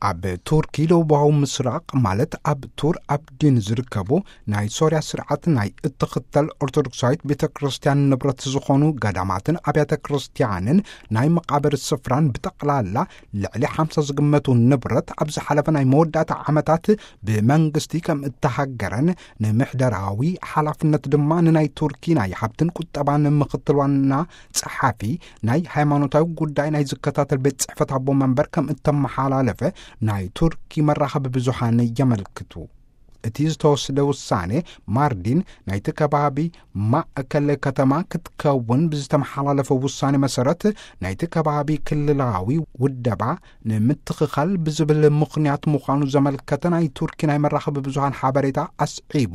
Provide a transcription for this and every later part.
ኣብ ቱርኪ ደቡባዊ ምስራቕ፣ ማለት ኣብ ቱር ኣብዲን ዝርከቡ ናይ ሶርያ ስርዓት ናይ እትኽተል ኦርቶዶክሳዊት ቤተ ክርስቲያን ንብረት ዝኾኑ ገዳማትን ኣብያተ ክርስቲያንን ናይ መቓብር ስፍራን ብጠቕላላ ልዕሊ ሓምሳ ዝግመቱ ንብረት ኣብ ዝሓለፈ ናይ መወዳእታ ዓመታት ብመንግስቲ ከም እተሃገረን ንምሕደራዊ ሓላፍነት ድማ ንናይ ቱርኪ ናይ ሃብትን ቁጠባን ምኽትል ዋና ጸሓፊ ናይ ሃይማኖታዊ ጉዳይ ናይ ዝከታተል ቤት ጽሕፈት ኣቦ መንበር ከም እተመሓላለፈ ናይ ቱርኪ መራኸቢ ብዙሃን የመልክቱ። እቲ ዝተወስደ ውሳኔ ማርዲን ናይቲ ከባቢ ማእከል ከተማ ክትከውን ብዝተመሓላለፈ ውሳኔ መሰረት ናይቲ ከባቢ ክልላዊ ውደባ ንምትኽኻል ብዝብል ምኽንያት ምዃኑ ዘመልከተ ናይ ቱርኪ ናይ መራኸቢ ብዙሃን ሓበሬታ ኣስዒቡ፣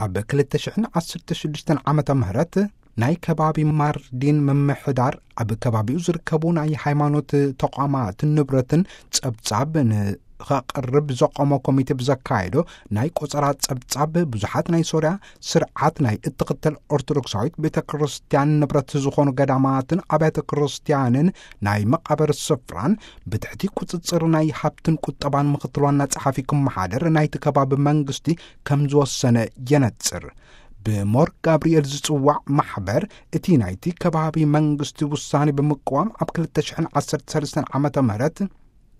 ኣብ ክልተ ሽሕን ዓሰርተ ሽዱሽተን ዓመተ ምህረት ናይ ከባቢ ማርዲን ምምሕዳር ኣብ ከባቢኡ ዝርከቡ ናይ ሃይማኖት ተቋማትን ንብረትን ጸብጻብ ንኸቕርብ ዘቆመ ኮሚቴ ብዘካየዶ ናይ ቆጸራ ጸብጻብ፣ ብዙሓት ናይ ሶርያ ስርዓት ናይ እትኽተል ኦርቶዶክሳዊት ቤተ ክርስቲያን ንብረት ዝኾኑ ገዳማትን ኣብያተ ክርስቲያንን ናይ መቓብር ስፍራን ብትሕቲ ቁጽጽር ናይ ሃብትን ቁጠባን ምኽትል ዋና ጸሓፊ ክመሓደር ናይቲ ከባቢ መንግስቲ ከም ዝወሰነ የነጽር። ብሞር ጋብርኤል ዝጽዋዕ ማሕበር፣ እቲ ናይቲ ከባቢ መንግስቲ ውሳኔ ብምቅዋም፣ ኣብ ክልተ ሽሕን ዓሰርተ ሰለስተን ዓመተ ምህረት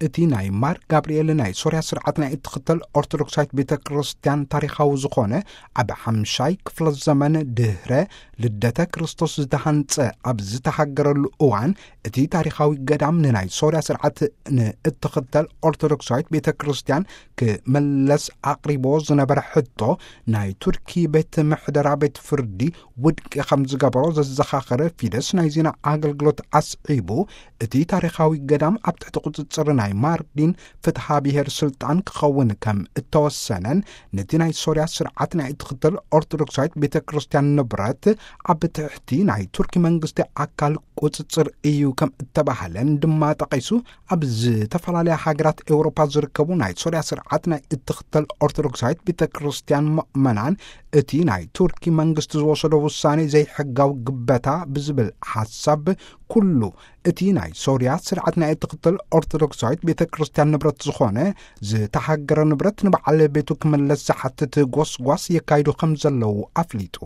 እቲ ናይ ማር ጋብርኤል ናይ ሶርያ ስርዓት ናይ እትኽተል ኦርቶዶክሳዊት ቤተ ክርስቲያን ታሪኻዊ ዝኾነ፣ ኣብ ሓምሻይ ክፍለ ዘመን ድህረ ልደተ ክርስቶስ ዝተሃንጸ ኣብ ዝተሃገረሉ እዋን፣ እቲ ታሪኻዊ ገዳም ንናይ ሶርያ ስርዓት ንእትኽተል ኦርቶዶክሳዊት ቤተ ክርስቲያን ክመለስ ኣቕሪቦ ዝነበረ ሕቶ፣ ናይ ቱርኪ ቤት ምሕደራ ቤት ፍርዲ ውድቂ ከም ዝገበሮ ዘዘኻኸረ ፊደስ ናይ ዜና ኣገልግሎት ኣስዒቡ፣ እቲ ታሪኻዊ ገዳም ኣብ ትሕቲ ቁጽጽር ናይ ማርዲን ፍትሓ ብሔር ስልጣን ክኸውን ከም እተወሰነን፣ ነቲ ናይ ሶርያ ስርዓት ናይ እትኽተል ኦርቶዶክሳዊት ቤተ ክርስቲያን ንብረት ኣብ ትሕቲ ናይ ቱርኪ መንግስቲ ኣካል ቁጽጽር እዩ ከም እተባህለን ድማ ጠቒሱ፣ ኣብ ዝተፈላለያ ሃገራት ኤውሮፓ ዝርከቡ ናይ ሶርያ ስርዓት ናይ እትኽተል ኦርቶዶክሳዊት ቤተ ክርስቲያን ምእመናን፣ እቲ ናይ ቱርኪ መንግስቲ ዝወሰዶ ውሳኔ ዘይሕጋዊ ግበታ ብዝብል ሓሳብ፣ ኩሉ እቲ ናይ ሶርያ ስርዓት ናይ እትኽተል ኦርቶዶክሳዊት ቤተ ክርስቲያን ንብረት ዝኾነ ዝተሃገረ ንብረት ንበዓል ቤቱ ክምለስ ዝሓትት ጎስጓስ የካይዱ ከም ዘለዉ ኣፍሊጡ።